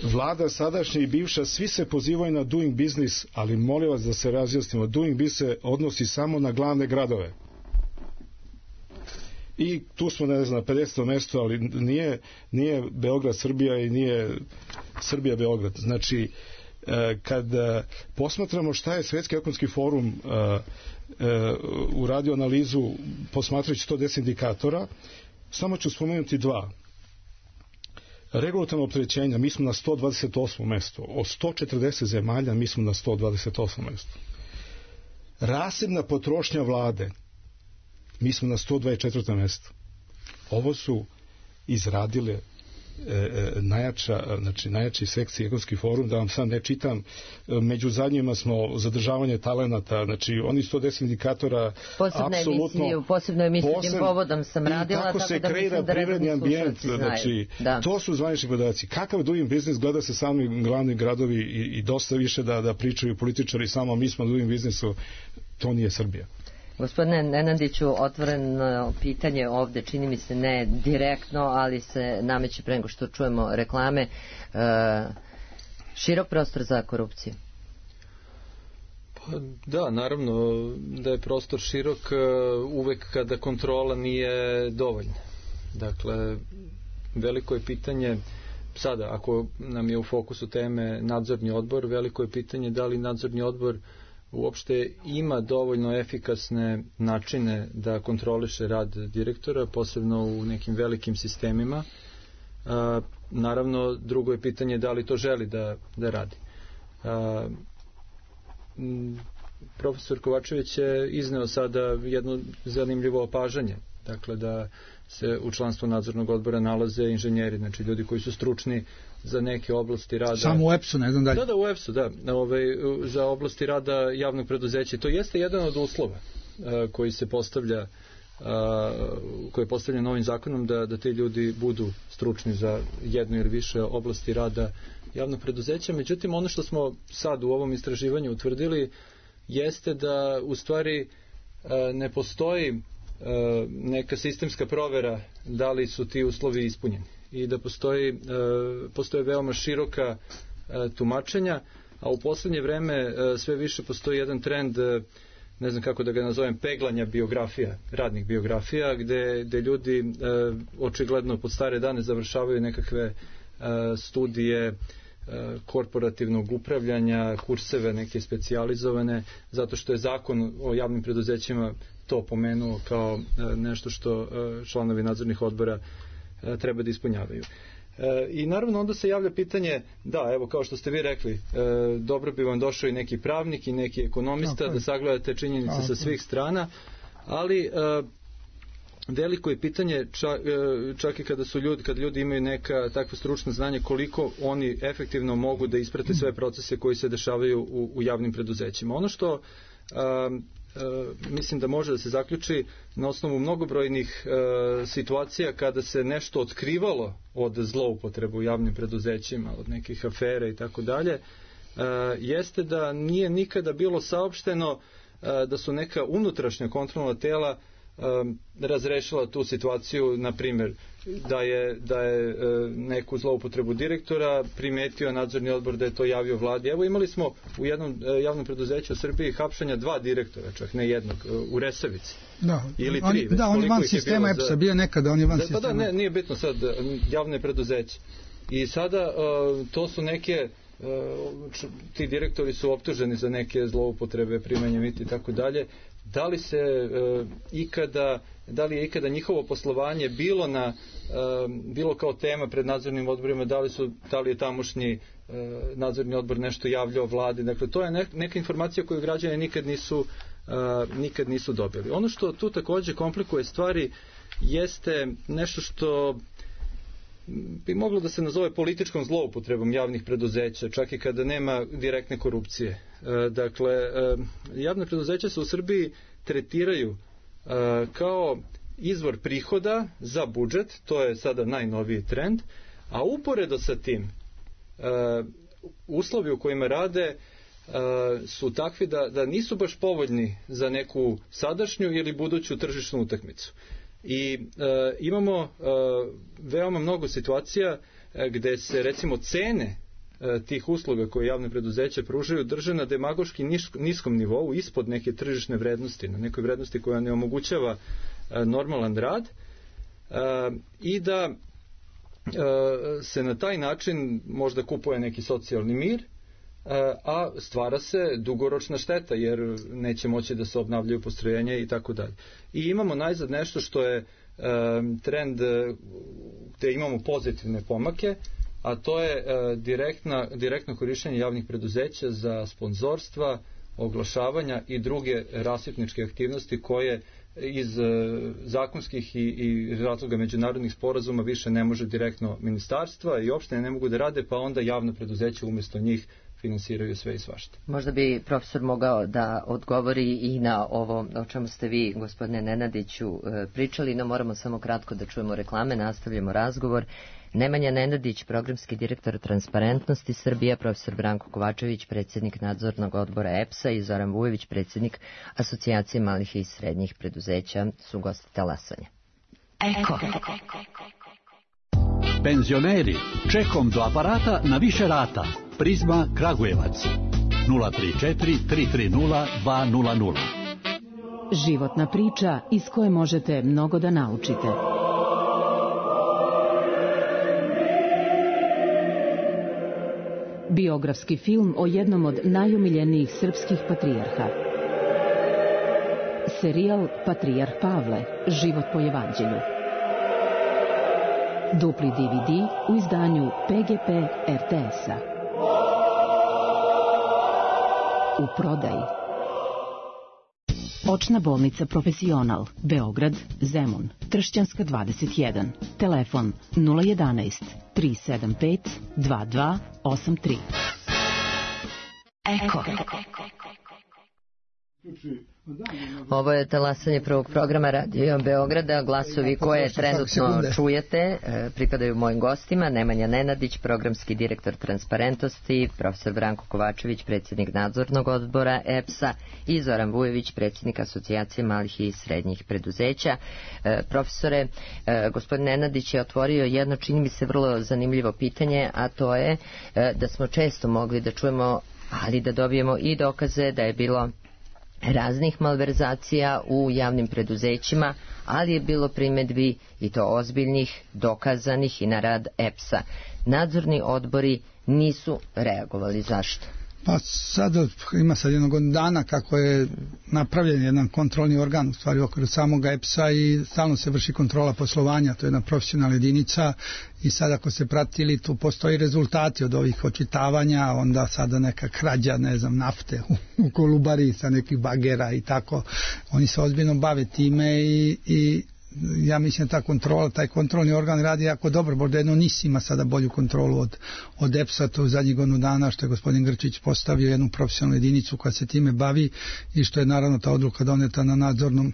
Vlada sadašnja i bivša, svi se pozivaju na doing business, ali molim vas da se razjasnimo, doing business se odnosi samo na glavne gradove. I tu smo, ne znam, 50. mesto, ali nije Beograd Srbija i nije Srbija Beograd. Znači, kad posmatramo šta je Svetski ekonomski forum uradio analizu posmatrajući 110 indikatora, samo ću spomenuti dva. Regulatorno opterećenja, mi smo na 128. mesto. Od 140 zemalja mi smo na 128. mesto. Rasebna potrošnja vlade, mi smo na 124. mesto. Ovo su izradile najjači sekcije ekonomski forum, da vam sad ne čitam. Među zadnjima smo zadržavanje talenata, znači oni 110 indikatora apsolutno posebno emisiju tim povodom sam radila, tako se kreira privredni ambijent, znači to su zvanični podaci. Kakav doing business, gleda se sami glavni gradovi i dosta više da pričaju političari, samo mi smo doing businessu, to nije Srbija. Gospodine Nenadiću, otvoreno pitanje ovde, čini mi se ne direktno, ali se nameće pre nego što čujemo reklame. Širok prostor za korupciju? Pa, da, naravno da je prostor širok uvek kada kontrola nije dovoljna. Dakle, veliko je pitanje, sada ako nam je u fokusu teme nadzorni odbor, veliko je pitanje da li nadzorni odbor uopšte ima dovoljno efikasne načine da kontroliše rad direktora, posebno u nekim velikim sistemima. Naravno, drugo je pitanje da li to želi da radi. Profesor Kovačević je izneo sada jedno zanimljivo opažanje, dakle da se u članstvu nadzornog odbora nalaze inženjeri, znači ljudi koji su stručni za neke oblasti rada. Samo u EPS-u, ne znam dalje. Da, u EPS-u, da. Za oblasti rada javnog preduzeća. To jeste jedan od uslova koji se postavlja koji je postavljen novim zakonom da ti ljudi budu stručni za jednu ili više oblasti rada javnog preduzeća. Međutim, ono što smo sad u ovom istraživanju utvrdili jeste da u stvari ne postoji neka sistemska provera da li su ti uslovi ispunjeni i da postoje veoma široka tumačenja, a u poslednje vreme sve više postoji jedan trend, ne znam kako da ga nazovem, peglanja biografija, radnih biografija, gde ljudi očigledno pod stare dane završavaju nekakve studije korporativnog upravljanja, kurseve neke specijalizovane, zato što je zakon o javnim preduzećima to pomenuo kao nešto što članovi nadzornih odbora treba da ispunjavaju. I naravno onda se javlja pitanje, da, evo kao što ste vi rekli, dobro bi vam došao i neki pravnik i neki ekonomista da sagledate činjenice sa svih strana, ali veliko je pitanje čak i kada ljudi imaju neka takva stručna znanja, koliko oni efektivno mogu da isprate sve procese koji se dešavaju u javnim preduzećima. Ono što mislim da može da se zaključi na osnovu mnogobrojnih situacija kada se nešto otkrivalo od zloupotrebe u javnim preduzećima, od nekih afera i tako dalje, jeste da nije nikada bilo saopšteno da su neka unutrašnja kontrolna tela razrešila tu situaciju, na primjer da je neku zloupotrebu direktora primetio nadzorni odbor da je to javio vladi. Evo imali smo u jednom javnom preduzeću u Srbiji hapšanja 2 direktora, čak ne jednog, u Resavici. Da, ili 3. Da, on je van sistema EPS-a, bio nekada, on je van sistema. Pa da, nije bitno sad, javne preduzeće. I sada to su neke ti direktori su optuženi za neke zloupotrebe, primanje mita i tako dalje. Da li je ikada njihovo poslovanje bilo kao tema pred nadzornim odborima, da li je tamošnji nadzorni odbor nešto javljao vladi, dakle to je neka informacija koju građani nikad nisu dobili. Ono što tu takođe komplikuje stvari jeste nešto što bi moglo da se nazove političkom zloupotrebom javnih preduzeća, čak i kada nema direktne korupcije. Dakle, javne preduzeća se u Srbiji tretiraju kao izvor prihoda za budžet, to je sada najnoviji trend, a uporedo sa tim uslovi u kojima rade su takvi da nisu baš povoljni za neku sadašnju ili buduću tržišnu utakmicu. I imamo veoma mnogo situacija gde se recimo cene tih usluga koje javne preduzeće pružaju drže na demagoški niskom nivou, ispod neke tržišne vrednosti, na nekoj vrednosti koja ne omogućava normalan rad, i da se na taj način možda kupuje neki socijalni mir, a stvara se dugoročna šteta jer neće moći da se obnavljaju postrojenja i tako dalje. I imamo najzad nešto što je trend gde imamo pozitivne pomake, a to je direktno korišćenje javnih preduzeća za sponzorstva, oglašavanja i druge rasipničke aktivnosti koje iz zakonskih i razloga međunarodnih sporazuma više ne može direktno ministarstva i opštine ne mogu da rade, pa onda javno preduzeće umjesto njih finansiraju sve i svašta. Možda bi profesor mogao da odgovori i na ovo o čemu ste vi, gospodine Nenadiću, pričali, no moramo samo kratko da čujemo reklame, nastavljamo razgovor. Nemanja Nenadić, programski direktor Transparentnosti Srbija, profesor Branko Kovačević, predsjednik nadzornog odbora EPS-a i Zoran Vujović, predsjednik Asocijacije malih i srednjih preduzeća, su gosti talasanja. Eko. Penzioneri, čekom do aparata na više rata. Prizma Kragujevac 034 330 200. Životna priča iz koje možete mnogo da naučite. Biografski film o jednom od najomiljenijih srpskih patrijarha. Serijal Patrijarh Pavle, život po evanđelju. Dupli DVD u izdanju PGP RTS-a. U prodaji. Očna bolnica Profesional, Beograd, Zemun, Tršćanska 21. Telefon 011 375 2283. Eko. Ovo je talasanje prvog programa Radio Beograda. Glasovi koje trenutno čujete pripadaju mojim gostima: Nemanja Nenadić, programski direktor Transparentnosti, profesor Branko Kovačević, predsjednik nadzornog odbora EPS-a, i Zoran Vujović, predsjednik Asocijacije malih i srednjih preduzeća. Profesore, gospodin Nenadić je otvorio jedno, čini mi se, vrlo zanimljivo pitanje, a to je da smo često mogli da čujemo, ali da dobijemo i dokaze da je bilo raznih malverzacija u javnim preduzećima, ali je bilo primedbi i to ozbiljnih, dokazanih, i na rad EPS-a. Nadzorni odbori nisu reagovali. Zašto? Pa sada ima sad jednog dana kako je napravljen jedan kontrolni organ u stvari u okviru samog EPS-a i stalno se vrši kontrola poslovanja, to je jedna profesionalna jedinica i sad ako se pratili tu postoji rezultati od ovih očitavanja, onda sada neka krađa, ne znam, nafte u Kolubari sa nekih bagera i tako, oni se ozbiljno bave time i ja mislim ta kontrola, taj kontrolni organ radi jako dobro, možda jedno NIS ima sada bolju kontrolu od EPS-a, to u zadnjih godinu dana što je gospodin Grčić postavio jednu profesionalnu jedinicu koja se time bavi i što je naravno ta odluka doneta na nadzornom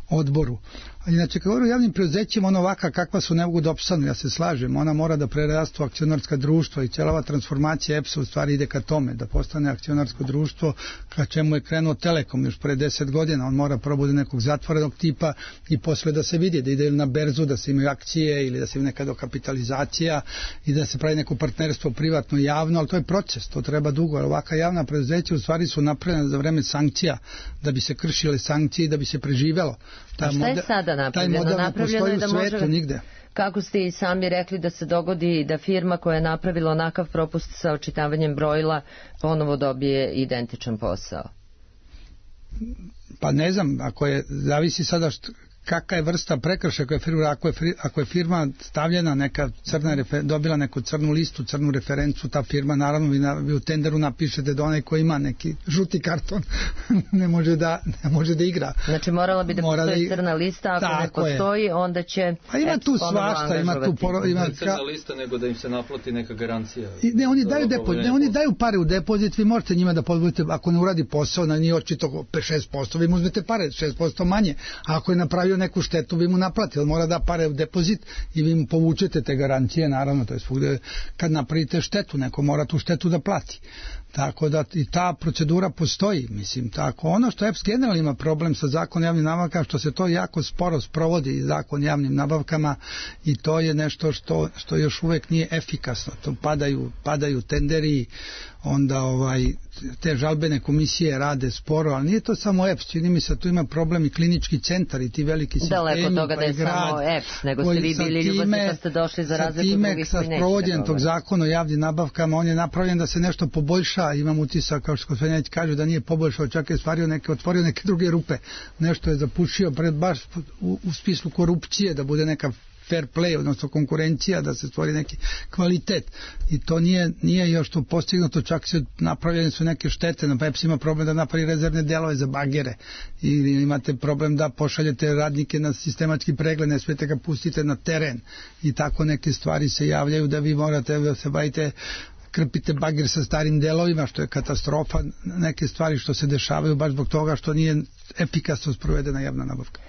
odboru. A inače, kad govorim o javnim preduzećima, ona ovaka kakva su ne mogu da opstanu, ja se slažem, ona mora da prerastu akcionarska društva i cijela transformacija EPS-a u stvari ide ka tome, da postane akcionarsko društvo ka čemu je krenuo Telekom još pre 10 godina, on mora probude nekog zatvorenog tipa i posle da se vidi, da ide na berzu, da se imaju akcije ili da se ima neka dokapitalizacija i da se pravi neko partnerstvo privatno i javno, ali to je proces, to treba dugo, ali ovaka javna preduzeća u stvari su napravljena za vreme sankcija, da bi se kršile sankcije i da bi se preživelo. A šta je sada napravljeno? Napravljeno je da može, nigde. Kako ste i sami rekli, da se dogodi da firma koja je napravila onakav propust sa očitavanjem brojila ponovo dobije identičan posao? Pa ne znam, zavisi sada kakva je vrsta prekršaja koja je firma, ako je firma stavljena neka dobila neku crnu listu, crnu referencu, ta firma naravno vi u tenderu napišete da onaj ko ima neki žuti karton ne može da igra. Znači morala bi da postoji crna lista, ako ne postoji onda će pa ima tu svašta, ima crna lista nego da im se naplati neka garancija. Ne, oni daju pare u depozit, vi možete njima da podvodite, ako ne uradi posao, na njih očito 5-6%, vi mu uzmete pare, 6% manje, a ako je napravio neku štetu, vi mu naplatite, ali mora da pare u depozit i vi mu povučete te garancije, naravno, to je svugde kad napravite štetu, neko mora tu štetu da plati. Tako da i ta procedura postoji, mislim, tako. Ono što EPS generalno ima problem sa zakonom javnim nabavkama, što se to jako sporo sprovodi zakon javnim nabavkama i to je nešto što još uvek nije efikasno. To padaju tenderi, onda te žalbene komisije rade sporo, ali nije to samo EPS, čini mi se tu ima problem i klinički centar i ti veliki sistemi. Daleko od toga da je samo EPS, nego ste vi bili ljubavni pa ste došli za razliku drugih koji neće. Sa sprovođenjem tog zakona o javnim nabavkama, on je napravljen da se nešto poboljša, imam utisak, kao što gospodin kaže, da nije poboljšao, čak je otvorio neke druge rupe, nešto je zapušio baš u smislu korupcije, da bude neka fair play, odnosno konkurencija, da se stvori neki kvalitet. I to nije još to postignuto, čak se napravljene su neke štete, na EPS ima problem da napravi rezervne delove za bagere, ili imate problem da pošaljete radnike na sistematski pregled, ne smijete ga pustite na teren i tako neke stvari se javljaju da vi morate da se bavite, krpite bager sa starim delovima, što je katastrofa, neke stvari što se dešavaju baš zbog toga što nije efikasno sprovedena javna nabavka.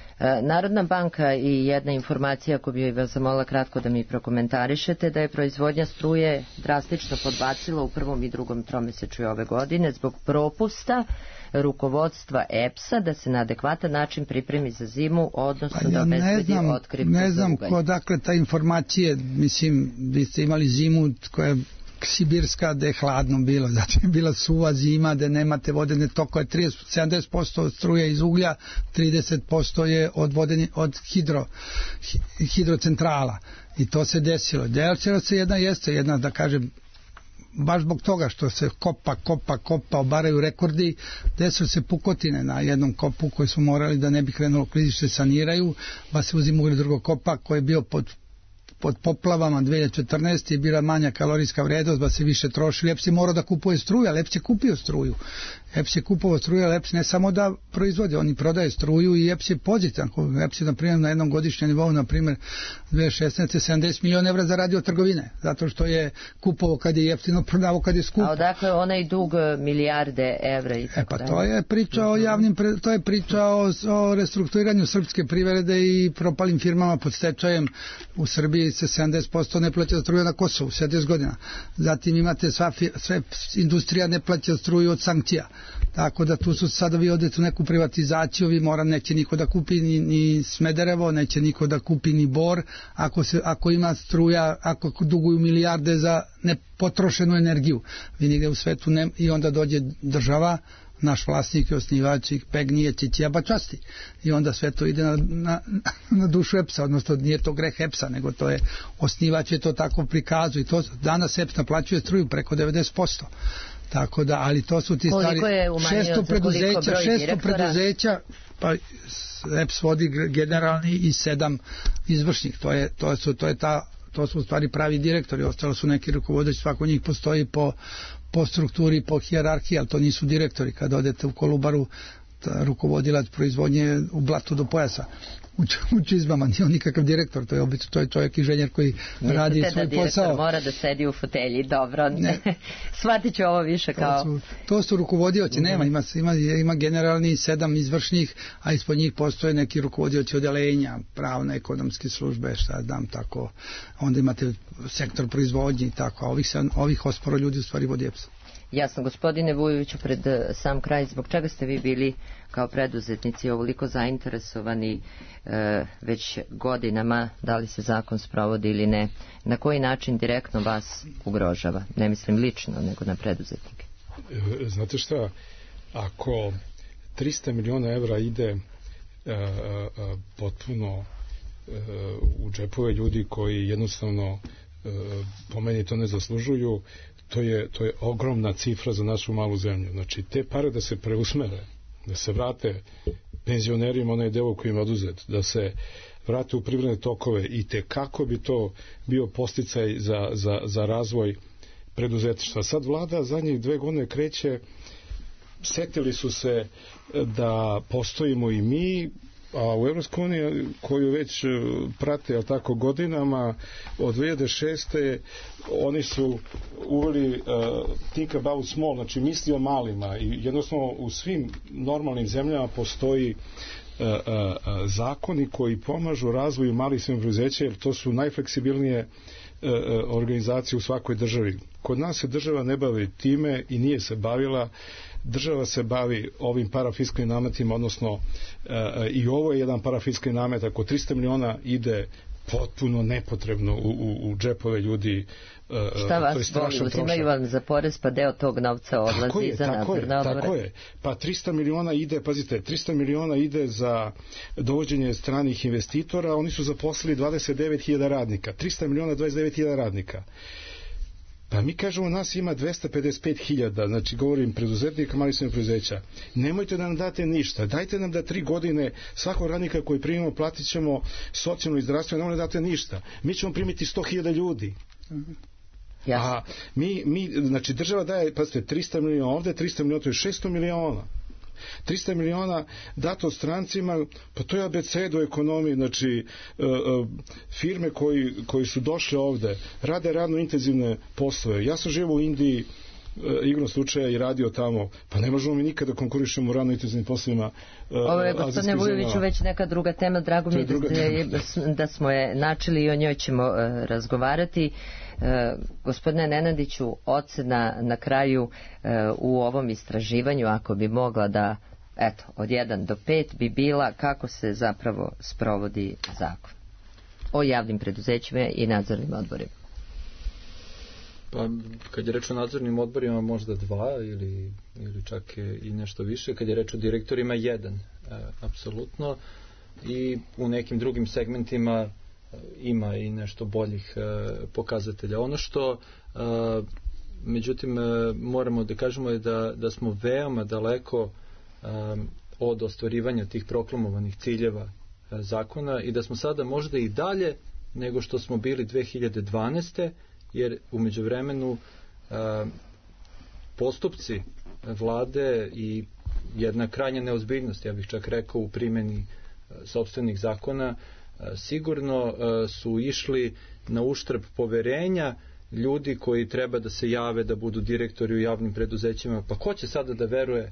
Narodna banka i jedna informacija koju bih vas zamolila kratko da mi prokomentarišete, da je proizvodnja struje drastično podbacila u prvom i drugom tromesečju ove godine zbog propusta rukovodstva EPS-a da se na adekvatan način pripremi za zimu, odnosno da obezbedi otkrivku za ugalj. Ne znam odakle ta informacije, mislim, vi ste imali zimu koja je sibirska, da je hladno bilo, znači je bila suva zima, da nemate vodene tokove, 70% struje iz uglja, 30% je od hidrocentrala i to se desilo. Desilo se jedna, da kažem, baš zbog toga što se kopa, obaraju rekordi, desilo se pukotine na jednom kopu koji su morali da ne bi krenulo klizište saniraju, pa se uzim ugljed drugog kopa koji je bio pod poplavama 2014. je bila manja kalorijska vrednost, ba se više trošili. EPS je morao da kupuje struju, ali EPS je kupio struju. EPS je kupovao struju, ali EPS ne samo da proizvode, oni prodaje struju i EPS je pozitivan. EPS je, na primjer, na jednom godišnjem nivou, na primjer, 2016. 70 miliona evra zaradio od trgovine, zato što je kupovao kad je jeftino, prodavao kad je skupo. A odakle onaj dug milijarde evra i tako dalje? Pa to je priča o javnim, to je priča o restrukturiranju srpske privrede i propalim firmama pod stečajem. U Srbiji se 70% ne plaća struju na Kosovu, 70 godina. Zatim imate sve industrija ne plaća struju od sankcija. Tako da tu su sada vi odete u neku privatizaciju, vi neće niko da kupi ni Smederevo, neće niko da kupi ni Bor, ako ima struja, ako duguju milijarde za nepotrošenu energiju. Vi nigde u svetu i onda dođe država, naš vlasnik i osnivač ih pegnije Ćićijaba časti. I onda sve to ide na dušu EPS-a, odnosno nije to greh EPS-a, nego to je, osnivač je to tako prikazu i to danas EPS naplaćuje struju preko 90%. Tako da, ali to su ti stvari, 600 preduzeća, pa EPS vodi generalni i 7 izvršnih, to su u stvari pravi direktori, ostalo su neki rukovodeći, svako njih postoji po strukturi, po hijerarhiji, ali to nisu direktori. Kad odete u Kolubaru, rukovodilac proizvodnje u blatu do pojasa u čizmama, nije on nikakav direktor, to je obično, to je čovjek inženjer koji radi svoj posao. Mislite da direktor mora da sedi u fotelji, dobro, shvatit ću ovo više kao... To su rukovodioci, ima generalni 7 izvršnih, a ispod njih postoje neki rukovodioci odelenja, pravne, ekonomske službe, šta znam, tako, onda imate sektor proizvodnje i tako, a ovih 8 ljudi u stvari vodi EPS. Jasno, gospodine Vujoviću, pred sam kraj, zbog čega ste vi bili kao preduzetnici ovoliko zainteresovani već godinama, da li se zakon sprovodi ili ne, na koji način direktno vas ugrožava? Ne mislim lično, nego na preduzetnike. Znate šta, ako 300 miliona evra ide potpuno u džepove ljudi koji jednostavno po meni to ne zaslužuju, to je ogromna cifra za našu malu zemlju. Znači, te pare da se preusmere, da se vrate penzionerima onaj deo koji im oduzet, da se vrate u privredne tokove i kako bi to bio podsticaj za razvoj preduzetništva. Sad vlada zadnjih 2 godine kreće, setili su se da postojimo i mi, a u Evropskoj uniji koju već prate tako godinama od 2006. oni su uveli think about small, znači misli o malima i jednostavno u svim normalnim zemljama postoji zakoni koji pomažu razvoju malih preduzeća, jer to su najfleksibilnije organizacije u svakoj državi. Kod nas se država ne bavi time i nije se bavila. Država se bavi ovim parafiskalnim nametima, odnosno i ovo je jedan parafiskalni namet. Ako 300 miliona ide potpuno nepotrebno u džepove ljudi, šta vas boli, uzimaju vam za porez pa deo tog novca odlazi za nadzorne odbore? Tako je, pa 300 miliona ide, pazite, 300 miliona ide za dovođenje stranih investitora, oni su zaposlili 29.000 radnika, 300 miliona 29.000 radnika. Pa mi kažemo, nas ima 255.000, znači govorim preduzetnika, mali srednjih preduzeća. Nemojte da nam date ništa, dajte nam da 3 godine svakog radnika koji primimo platit ćemo socijalno i zdravstveno, nemoj da date ništa. Mi ćemo primiti 100.000 ljudi. Jasno. A mi, znači država daje, pazite, 300 miliona, ovde 300 miliona, to je 600 miliona. 300 miliona dato strancima, pa to je abecedo ekonomije, znači firme koji su došle ovde, rade radno intenzivne poslove. Ja sam živio u Indiji, igrom slučaja i radio tamo, pa ne možemo mi nikada konkurišemo u radno intenzivnim poslovima. Ovo je, gospodine Vujoviću, već neka druga tema, drago mi da smo je načeli i o njoj ćemo razgovarati. Gospodine Nenadiću, ocena na kraju u ovom istraživanju, ako bi mogla da, eto, od 1 do 5 bi bila kako se zapravo sprovodi zakon o javnim preduzećima i nadzornim odborima. Pa, kad je reč o nadzornim odborima, možda 2 ili čak i nešto više. Kad je reč o direktorima, 1, apsolutno. I u nekim drugim segmentima ima i nešto boljih pokazatelja. Ono što međutim moramo da kažemo je da smo veoma daleko od ostvarivanja tih proklamovanih ciljeva zakona i da smo sada možda i dalje nego što smo bili 2012. jer u međuvremenu postupci vlade i jedna krajnja neozbiljnost, ja bih čak rekao, u primjeni sopstvenih zakona sigurno su išli na uštrb poverenja ljudi koji treba da se jave da budu direktori u javnim preduzećima. Pa ko će sada da veruje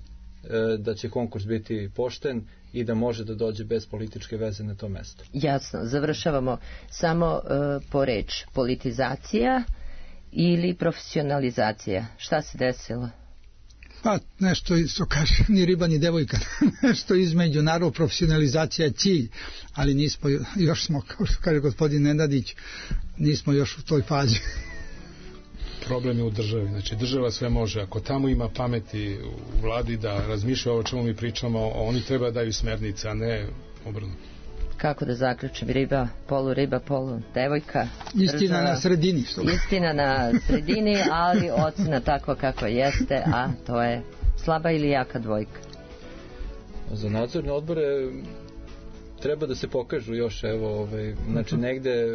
da će konkurs biti pošten i da može da dođe bez političke veze na to mesto? Jasno, završavamo samo po reč. Politizacija ili profesionalizacija? Šta se desilo? Pa nešto isto kaže, ni riba ni devojka, nešto između, naravno profesionalizacija je cilj, ali nismo, još smo, kao što kaže gospodin Nenadić, nismo još u toj fazi. Problem je u državi, znači država sve može, ako tamo ima pameti u vladi da razmišlja o čemu mi pričamo, oni treba da daju smernice, a ne obrnuto. Kako da zaključim, riba, polu devojka. Istina na sredini. Istina na sredini, ali ocena takva kako jeste, a to je slaba ili jaka dvojka. Za nadzorne odbore treba da se pokažu još, evo, znači negde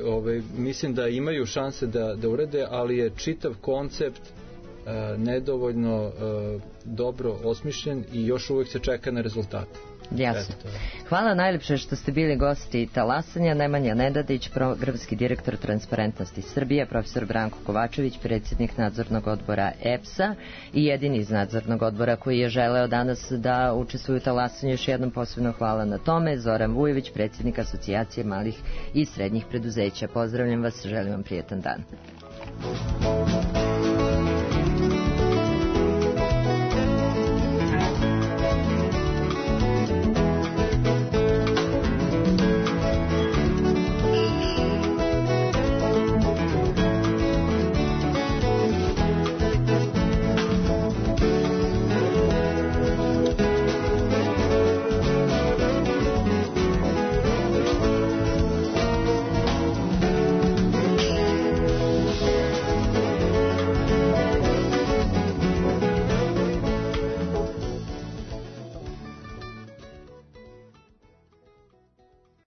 mislim da imaju šanse da urede, ali je čitav koncept nedovoljno dobro osmišljen i još uvijek se čeka na rezultate. Jasno. Hvala najlepše što ste bili gosti Talasanja. Nemanja Nenadić, programski direktor Transparentnosti Srbije, profesor Branko Kovačević, predsjednik nadzornog odbora EPS-a i jedini iz nadzornog odbora koji je želeo danas da učestvuje u Talasanju. Još jednom posebno hvala na tome. Zoran Vujović, predsjednik Asocijacije malih i srednjih preduzeća. Pozdravljam vas, želim vam prijetan dan.